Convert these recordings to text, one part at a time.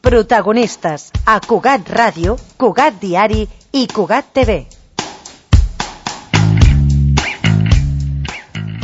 Protagonistes a Cugat Ràdio, Cugat Diari i Cugat TV.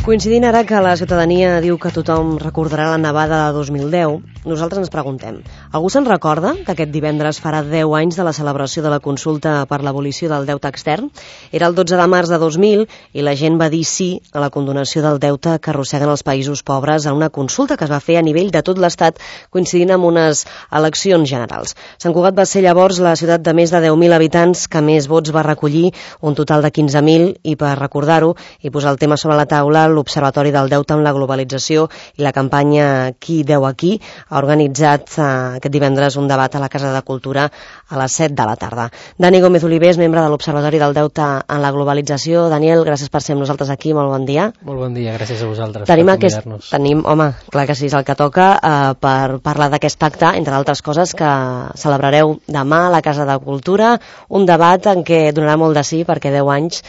Coincidint ara que la ciutadania diu que tothom recordarà la nevada de 2010, nosaltres ens preguntem, algú se'n recorda que aquest divendres farà 10 anys de la celebració de la consulta per l'abolició del deute extern? Era el 12 de març de 2000 i la gent va dir sí a la condonació del deute que arrosseguen els països pobres a una consulta que es va fer a nivell de tot l'Estat coincidint amb unes eleccions generals. Sant Cugat va ser llavors la ciutat de més de 10.000 habitants que més vots va recollir, un total de 15.000, i per recordar-ho i posar el tema sobre la taula, l'Observatori del Deute amb la Globalització i la campanya Qui deu aquí ha organitzat aquest divendres un debat a la Casa de Cultura a les 7 de la tarda. Dani Gómez Olivés, membre de l'Observatori del Deute en la Globalització. Daniel, gràcies per ser amb nosaltres aquí, molt bon dia. Molt bon dia, gràcies a vosaltres per convidar-nos. Home, clar que sí, és el que toca per parlar d'aquest pacte, entre altres coses, que celebrareu demà a la Casa de Cultura, un debat en què donarà molt de sí, perquè 10 anys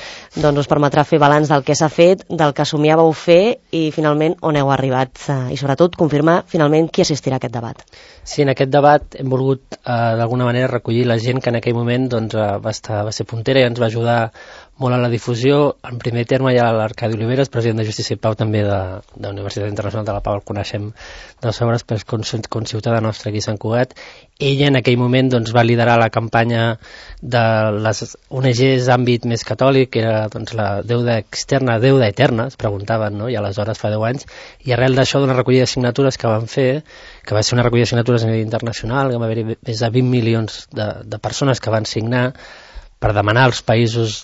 us permetrà fer balanç del que s'ha fet, del que somiàveu fer i finalment on heu arribat, i sobretot confirmar finalment qui assistirà a aquest debat. Sí, en aquest debat hem volgut d'alguna manera recollir la gent que en aquell moment va ser puntera i ens va ajudar molt a la difusió. En primer terme hi ha l'Arcadi Oliveres, president de Justícia i Pau, també de la Universitat Internacional de la Pau, el coneixem de les obres, però és conciutadà nostre aquí a Sant Cugat. Ella en aquell moment va liderar la campanya de les ONGs d'àmbit més catòlic, que era la deuda externa, deuda eterna, es preguntaven, no? I aleshores fa 10 anys, i arrel d'això d'una recollida de signatures que van fer, que va ser una recollida de signatures a nivell internacional, que va haver-hi més de 20 milions de persones que van signar per demanar als països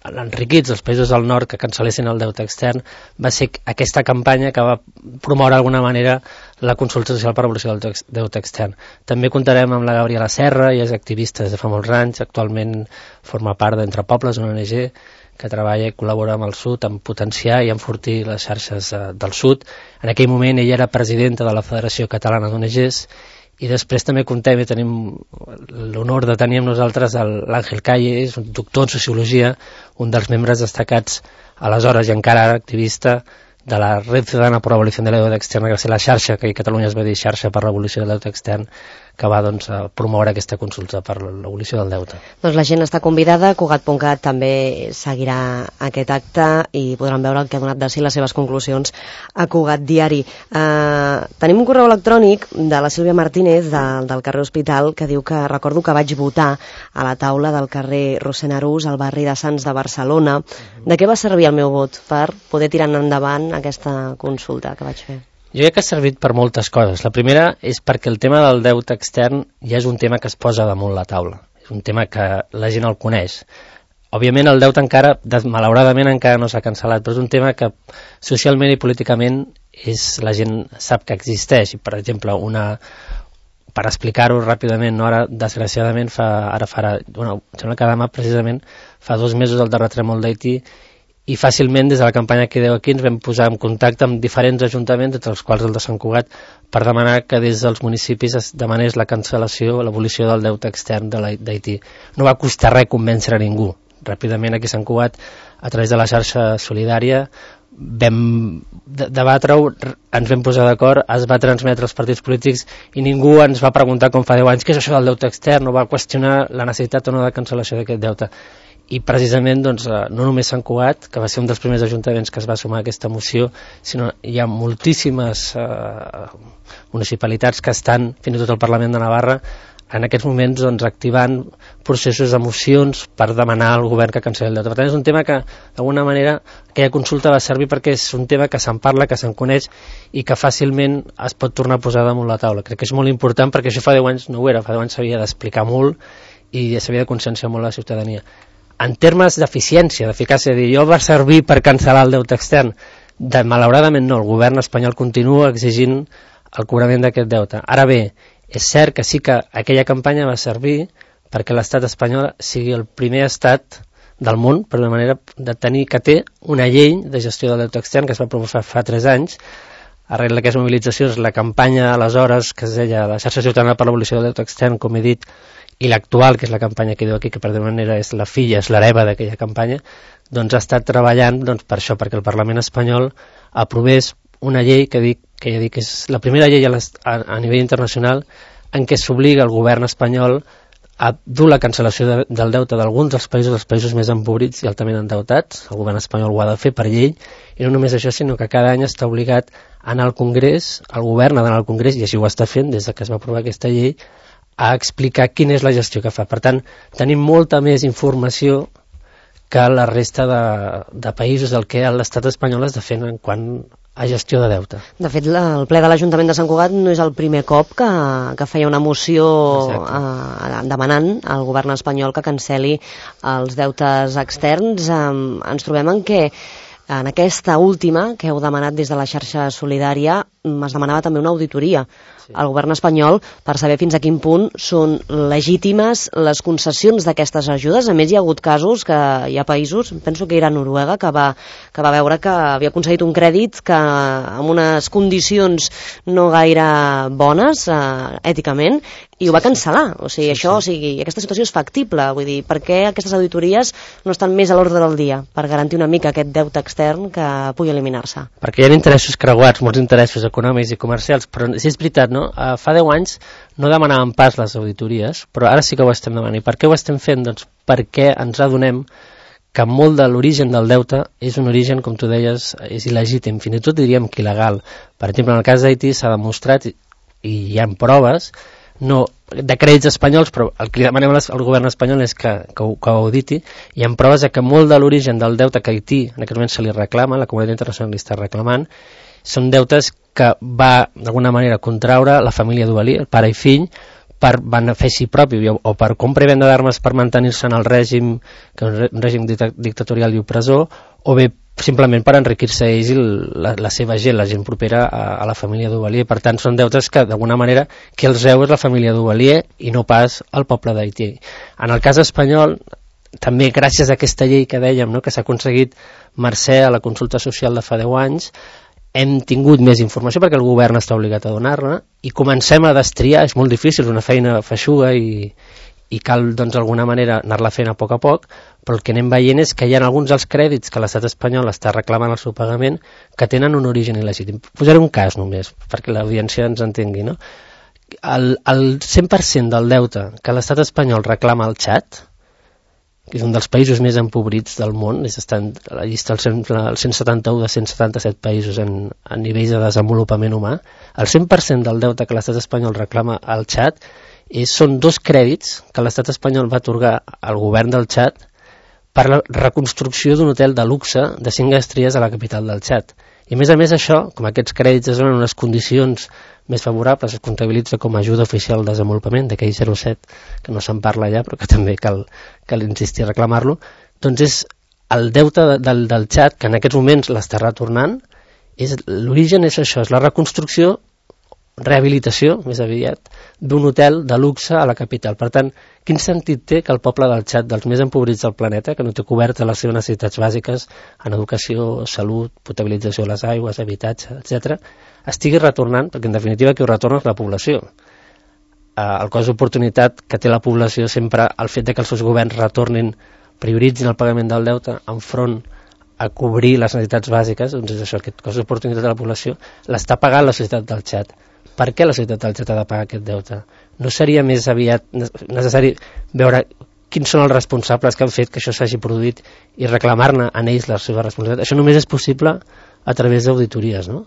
enriquits, als països del nord, que cancel·lessin el deute extern. Va ser aquesta campanya que va promoure d'alguna manera la consulta social per l'abolició del deute extern. També comptarem amb la Gabriela Serra, ella és activista des de fa molts anys, actualment forma part d'Entre Pobles, una ONG que treballa i col·labora amb el Sud en potenciar i enfortir les xarxes del Sud. En aquell moment ella era presidenta de la Federació Catalana d'ONGs. I després també contem i tenim l'honor de tenir amb nosaltres l'Àngel Calle, és un doctor en Sociologia, un dels membres destacats aleshores i encara ara activista de la Red Ciudadana per l'Abolició del Deute Extern, que va ser la xarxa, que a Catalunya es va dir xarxa per l'abolició del deute extern, que va promoure aquesta consulta per l'abolició del deute. Doncs la gent està convidada, Cugat.cat també seguirà aquest acte i podran veure el que ha donat de si les seves conclusions a Cugat Diari. Tenim un correu electrònic de la Sílvia Martínez del carrer Hospital que diu que recordo que vaig votar a la taula del carrer Rossend-Arús al barri de Sants de Barcelona. De què va servir el meu vot per poder tirar endavant aquesta consulta que vaig fer? Jo crec que ha servit per moltes coses. La primera és perquè el tema del deute extern ja és un tema que es posa damunt la taula. És un tema que la gent el coneix. Òbviament el deute encara, malauradament encara no s'ha cancel·lat, però és un tema que socialment i políticament la gent sap que existeix. I, per exemple, per explicar-ho ràpidament, ara desgraciadament em sembla que demà precisament fa 2 mesos del terratrèmol d'Haití, i fàcilment des de la campanya Qui deu aquí ens vam posar en contacte amb diferents ajuntaments, entre els quals el de Sant Cugat, per demanar que des dels municipis es demanés la cancel·lació, l'abolició del deute extern d'Haití. No va costar res convèncer a ningú. Ràpidament aquí a Sant Cugat, a través de la xarxa solidària, vam debatre-ho, ens vam posar d'acord, es va transmetre als partits polítics i ningú ens va preguntar com fa 10 anys què és això del deute extern, no va qüestionar la necessitat o no de cancel·lació d'aquest deute. I precisament no només Sant Cugat, que va ser un dels primers ajuntaments que es va sumar a aquesta moció, sinó hi ha moltíssimes municipalitats que estan, fins i tot al Parlament de Navarra, en aquests moments activant processos de mocions per demanar al govern que cancel·li el deute. Per tant, és un tema que, d'alguna manera, aquella consulta va servir perquè és un tema que se'n parla, que se'n coneix i que fàcilment es pot tornar a posar damunt la taula. Crec que és molt important perquè això fa 10 anys no ho era, fa 10 anys s'havia d'explicar molt i s'havia de conscienciar molt la ciutadania. En termes d'eficiència, d'eficàcia, jo va servir per cancel·lar el deute extern. Malauradament no, el govern espanyol continua exigint el cobrament d'aquest deute. Ara bé, és cert que sí que aquella campanya va servir perquè l'estat espanyol sigui el primer estat del món, per una manera de tenir que té una llei de gestió del deute extern que es va promoure fa 3 anys. Arrel d'aquestes mobilitzacions, la campanya aleshores que es deia la xarxa ciutadana per l'abolició del deute extern, com he dit, i l'actual, que és la campanya que diu aquí, que per d'una manera és la filla, és l'hereva d'aquella campanya, doncs ha estat treballant per això, perquè el Parlament espanyol aprovés una llei que ja dic que és la primera llei a nivell internacional en què s'obliga el govern espanyol a dur la cancel·lació del deute d'alguns dels països més empobrits i altament endeutats. El govern espanyol ho ha de fer per llei, i no només això, sinó que cada any està obligat a anar al Congrés, el govern ha d'anar al Congrés, i així ho està fent des que es va aprovar aquesta llei, a explicar quina és la gestió que fa. Per tant, tenim molta més informació que la resta de països del que l'estat espanyol està fent en quant a gestió de deute. De fet, el ple de l'Ajuntament de Sant Cugat no és el primer cop que feia una moció demanant al govern espanyol que cancel·li els deutes externs. Ens trobem en què en aquesta última que heu demanat des de la xarxa solidària es demanava també una auditoria al govern espanyol per saber fins a quin punt són legítimes les concessions d'aquestes ajudes. A més, hi ha hagut casos que hi ha països, penso que era Noruega, que va veure que havia aconseguit un crèdit que amb unes condicions no gaire bones èticament, i ho va cancel·lar. O sigui, aquesta situació és factible. Vull dir, per què aquestes auditories no estan més a l'ordre del dia per garantir una mica aquest deute extern que pugui eliminar-se? Perquè hi ha interessos creuats, molts interessos econòmics i comercials, però sí és veritat, no? Fa 10 anys no demanàvem pas les auditories, però ara sí que ho estem demanant. I per què ho estem fent? Doncs perquè ens adonem que molt de l'origen del deute és un origen, com tu deies, és il·legítim, fins i tot diríem que il·legal. Per exemple, en el cas d'Haití s'ha demostrat, i hi ha proves, no de crèdits espanyols, però el que li demanem al govern espanyol és que ho auditi. Hi ha proves que molt de l'origen del deute que Haití en aquest moment se li reclama, la comunitat internacional li està reclamant, són deutes que va d'alguna manera contraure la família Duvalier, pare i fill, per benefici propi o per compra i venda d'armes per mantenir-se en el règim, que és un règim dictatorial i opressor, o bé simplement per enriquir-se ells i la seva gent, la gent propera a la família Duvalier. Per tant, són deutes que d'alguna manera qui els deu és la família Duvalier i no pas el poble d'Haití. En el cas espanyol, també gràcies a aquesta llei que dèiem, no, que s'ha aconseguit mercè a la consulta social de fa 10 anys, hem tingut més informació perquè el govern està obligat a donar-la i comencem a destriar. És molt difícil, és una feina feixuga i cal doncs d'alguna manera anar-la fent a poc, però el que anem veient és que hi ha alguns dels crèdits que l'estat espanyol està reclamant el seu pagament que tenen un origen il·legítim. Posaré un cas només perquè l'audiència ens entengui, no? El 100% del deute que l'estat espanyol reclama al Txad, que és un dels països més empobrits del món, està a la llista el 171 de 177 països a nivells de desenvolupament humà, el 100% del deute que l'estat espanyol reclama al Txad són 2 crèdits que l'estat espanyol va atorgar al govern del Txad per la reconstrucció d'un hotel de luxe de 5 estrelles a la capital del Txad. I a més això, com aquests crèdits es donen unes condicions més favorables, es comptabilitza com a ajuda oficial al desenvolupament, d'aquell 07, que no se'n parla ja, però que també cal insistir a reclamar-lo, doncs és el deute del Txad, que en aquests moments l'està retornant, l'origen és això, és la reconstrucció, rehabilitació, més aviat, d'un hotel de luxe a la capital. Per tant, quin sentit té que el poble del Txad, dels més empobrits del planeta, que no té cobertes les seves necessitats bàsiques en educació, salut, potabilització de les aigües, habitatge, etc., estigui retornant, perquè en definitiva qui ho retorna és la població. El cost d'oportunitat que té la població sempre, el fet que els seus governs retornin, prioritzin el pagament del deute enfront a cobrir les necessitats bàsiques, doncs és això, aquest cost d'oportunitat de la població l'està pagant la societat del Txad. Per què la societat del Txad ha de pagar aquest deute? No seria més aviat necessari veure quins són els responsables que han fet que això s'hagi produït i reclamar-ne en ells la seva responsabilitat? Això només és possible a través d'auditories, no?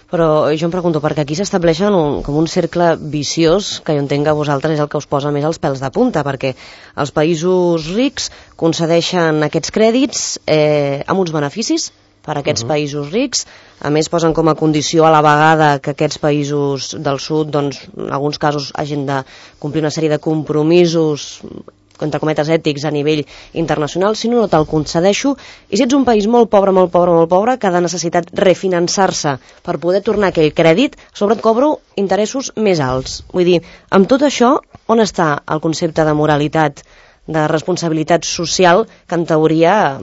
Però jo em pregunto, perquè aquí s'estableix com un cercle viciós, que jo entenc que a vosaltres és el que us posa més els pèls de punta, perquè els països rics concedeixen aquests crèdits amb uns beneficis per a aquests països rics, a més posen com a condició a la vegada que aquests països del sud, doncs, en alguns casos hagin de complir una sèrie de compromisos entre cometes ètics a nivell internacional. Si no te'l concedeixo, i si ets un país molt pobre, que ha de necessitat refinançar-se per poder tornar aquell crèdit, sobre et cobro interessos més alts. Vull dir, amb tot això, on està el concepte de moralitat, de responsabilitat social que en teoria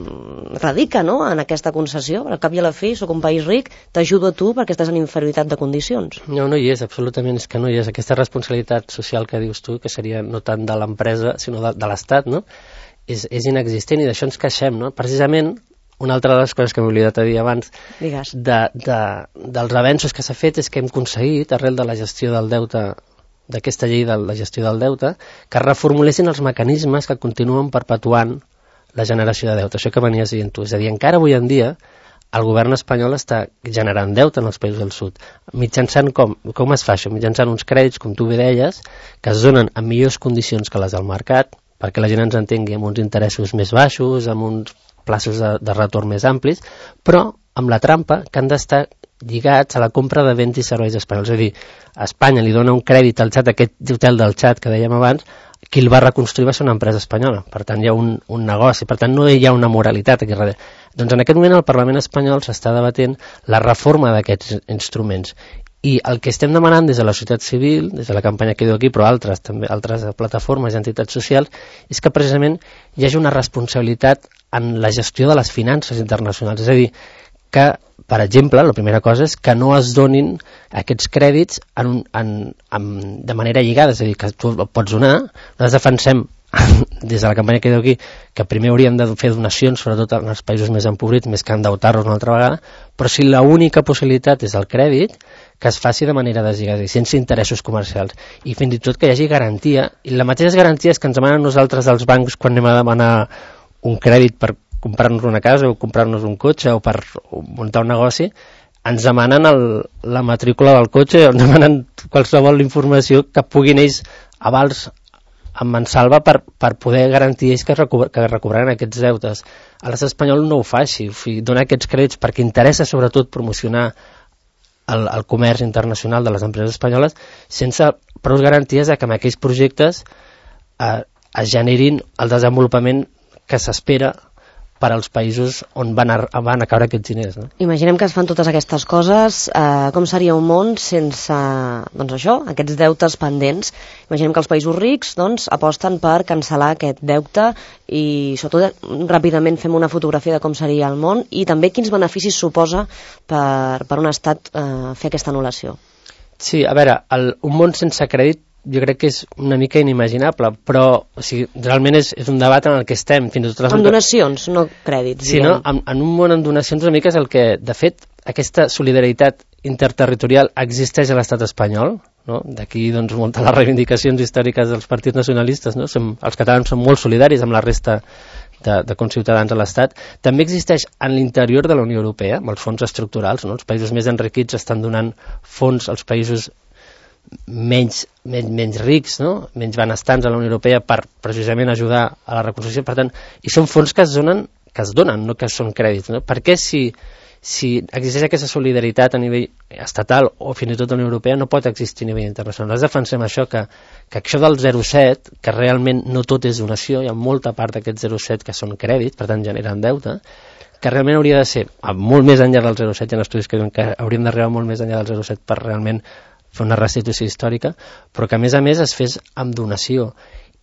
radica, no?, en aquesta concessió? Al cap i a la fi, soc un país ric, t'ajudo a tu perquè estàs en inferioritat de condicions. No hi és, absolutament, és que no hi és. Aquesta responsabilitat social que dius tu, que seria no tant de l'empresa, sinó de l'Estat, no?, és inexistent, i d'això ens queixem, no? Precisament, una altra de les coses que m'he oblidat a dir abans, dels avenços que s'ha fet és que hem aconseguit, arrel de la gestió del deute d'aquesta llei de la gestió del deute, que reformulessin els mecanismes que continuen perpetuant la generació de deute. Això que venies dient tu. És a dir, encara avui en dia el govern espanyol està generant deute en els països del sud. Mitjançant com es fa això? Mitjançant uns crèdits, com tu bé deies, que es donen en millors condicions que les del mercat, perquè la gent ens entengui, amb uns interessos més baixos, amb uns plaços de retorn més amplis, però amb la trampa que han d'estar lligats a la compra de béns i serveis espanyols. És a dir, Espanya li dona un crèdit al xat, aquest hotel del xat que dèiem abans, qui el va reconstruir va ser una empresa espanyola. Per tant, hi ha un negoci, per tant, no hi ha una moralitat aquí darrere. Doncs en aquest moment al Parlament espanyol s'està debatent la reforma d'aquests instruments. I el que estem demanant des de la societat civil, des de la campanya que diu aquí, però també altres plataformes i entitats socials, és que precisament hi hagi una responsabilitat en la gestió de les finances internacionals. És a dir, que, per exemple, la primera cosa és que no es donin aquests crèdits de manera lligada, és a dir, que tu pots donar. Nosaltres defensem des de la campanya que diu aquí que primer hauríem de fer donacions, sobretot en els països més empobrits, més que endeutar-nos una altra vegada, però si l'única possibilitat és el crèdit, que es faci de manera deslligada, sense interessos comercials, i fins i tot que hi hagi garantia, i les mateixes garanties que ens demanen nosaltres dels bancs quan anem a demanar un crèdit per comprar-nos una casa o comprar-nos un cotxe o per muntar un negoci, ens demanen la matrícula del cotxe, ens demanen qualsevol informació que puguin ells avals en mansalva per poder garantir ells que recobraran aquests deutes. A l'estat espanyol no ho fa així, dona aquests crèdits perquè interessa sobretot promocionar el comerç internacional de les empreses espanyoles sense prou garanties que amb aquells projectes es generin el desenvolupament que s'espera per als països on van a caure aquests diners. No? Imaginem que es fan totes aquestes coses, com seria un món sense aquests deutes pendents? Imaginem que els països rics aposten per cancel·lar aquest deute i sobretot ràpidament fem una fotografia de com seria el món i també quins beneficis suposa per un estat fer aquesta anul·lació. Sí, a veure, un món sense crèdit jo crec que és una mica inimaginable, però realment és un debat en el que estem. Fins i tot amb donacions, no crèdits. Sí, no? En un món amb donacions una mica és el que, de fet, aquesta solidaritat interterritorial existeix a l'estat espanyol, no? D'aquí moltes les reivindicacions històriques dels partits nacionalistes, no? Els catalans són molt solidaris amb la resta de conciutadans a l'Estat. També existeix en l'interior de la Unió Europea, amb els fons estructurals, no? Els països més enriquits estan donant fons als països menys rics, no? Menys benestants a la Unió Europea per precisament ajudar a la reconstrucció. Per tant, i són fons que es donen, no que són crèdits. No? Per què si existeix aquesta solidaritat a nivell estatal o fins i tot a la Unió Europea no pot existir a nivell internacional? Nosaltres defensem això, que això del 0,7, que realment no tot és donació, hi ha molta part d'aquest 0,7 que són crèdits, per tant generen deute, que realment hauria de ser molt més enllà del 0,7, hi ha estudis que diuen que hauríem d'arribar molt més enllà del 0,7 per realment fer una restitució històrica, però que a més es fes amb donació.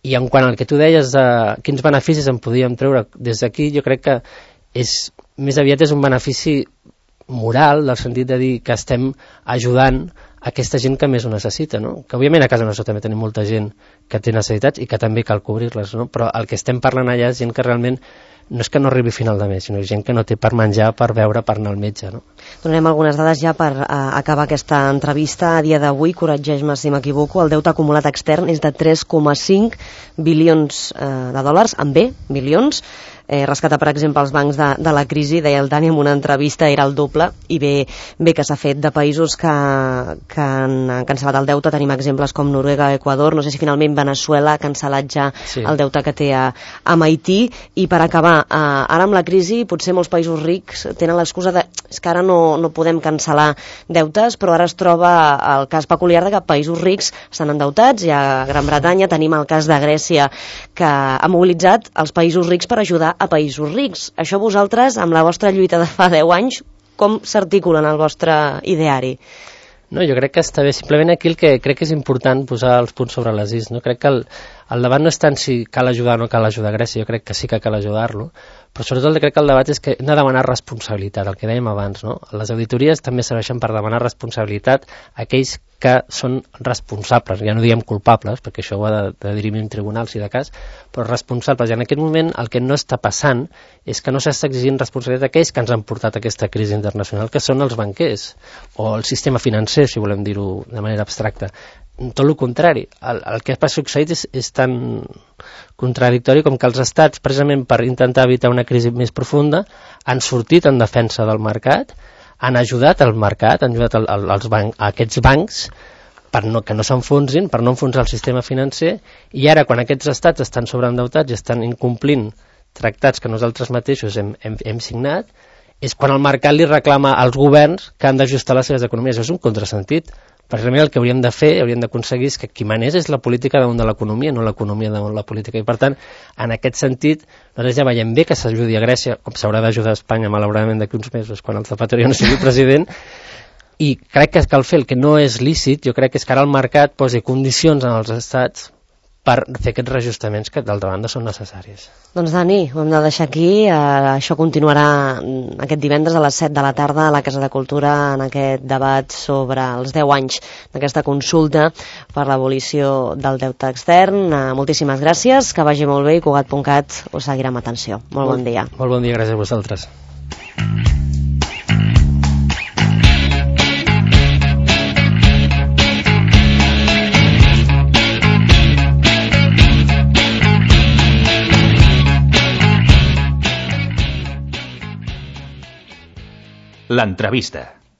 I en quant al que tu deies de quins beneficis en podíem treure des d'aquí, jo crec que més aviat és un benefici moral, del sentit de dir que estem ajudant aquesta gent que més ho necessita, no? Que òbviament a casa nostra també tenim molta gent que té necessitats i que també cal cobrir-les, no? Però el que estem parlant allà és gent que realment no és que no arribi a final de mes, sinó gent que no té per menjar, per beure, per anar al metge. No? Donarem algunes dades ja per acabar aquesta entrevista. A dia d'avui, corregeix-me si m'equivoco, el deute acumulat extern és de 3,5 bilions de dòlars, amb B, milions. Rescatar, per exemple, els bancs de la crisi, deia el Dani en una entrevista, era el doble, i bé que s'ha fet. De països que han cancel·lat el deute, tenim exemples com Noruega, Equador, no sé si finalment Venezuela ha cancel·lat ja el deute que té a Haití. I per acabar, ara amb la crisi, potser molts països rics tenen l'excusa de que ara no podem cancel·lar deutes, però ara es troba el cas peculiar de que països rics estan endeutats, i a Gran Bretanya tenim el cas de Grècia, que ha mobilitzat els països rics per ajudar a països rics. Això vosaltres, amb la vostra lluita de fa 10 anys, com s'articula en el vostre ideari? No, jo crec que està bé. Simplement aquí el que crec que és important posar els punts sobre les is. No? Crec que el debat no és tant si cal ajudar o no cal ajudar a Grècia, jo crec que sí que cal ajudar-lo, però sobretot crec que el debat és que hem de demanar responsabilitat, el que dèiem abans. No? Les auditories també serveixen per demanar responsabilitat a aquells que són responsables, ja no diem culpables, perquè això ho ha de dirimir un tribunal si de cas, però responsables. I en aquest moment el que no està passant és que no s'està exigint responsabilitat d'aquells que ens han portat aquesta crisi internacional, que són els banquers, o el sistema financer, si volem dir-ho de manera abstracta. Tot el contrari, el que ha succeït és tan contradictori com que els estats, precisament per intentar evitar una crisi més profunda, han sortit en defensa del mercat, han ajudat al mercat, han ajudat a aquests bancs que no s'enfonsin, per no enfonsar el sistema financer, i ara quan aquests estats estan sobreendeutats i estan incomplint tractats que nosaltres mateixos hem signat, és quan el mercat li reclama als governs que han d'ajustar les seves economies. Això és un contrasentit. Precisament el que hauríem de fer, hauríem d'aconseguir és que qui manés és la política damunt de l'economia, no l'economia damunt la política. I per tant, en aquest sentit, nosaltres ja veiem bé que s'ajudi a Grècia, com s'haurà d'ajudar a Espanya, malauradament d'aquí uns mesos, quan el Zapatero no sigui president, i crec que cal fer el que no és lícit, jo crec que és que ara el mercat posi condicions en els estats per fer aquests reajustaments que d'altra banda són necessaris. Doncs Dani, ho hem de deixar aquí. Això continuarà aquest divendres a les 7 de la tarda a la Casa de Cultura en aquest debat sobre els 10 anys d'aquesta consulta per l'abolició del deute extern. Moltíssimes gràcies, que vagi molt bé i Cugat.cat us seguirà amb atenció. Molt bon dia. Molt bon dia, gràcies a vosaltres. L'entrevista.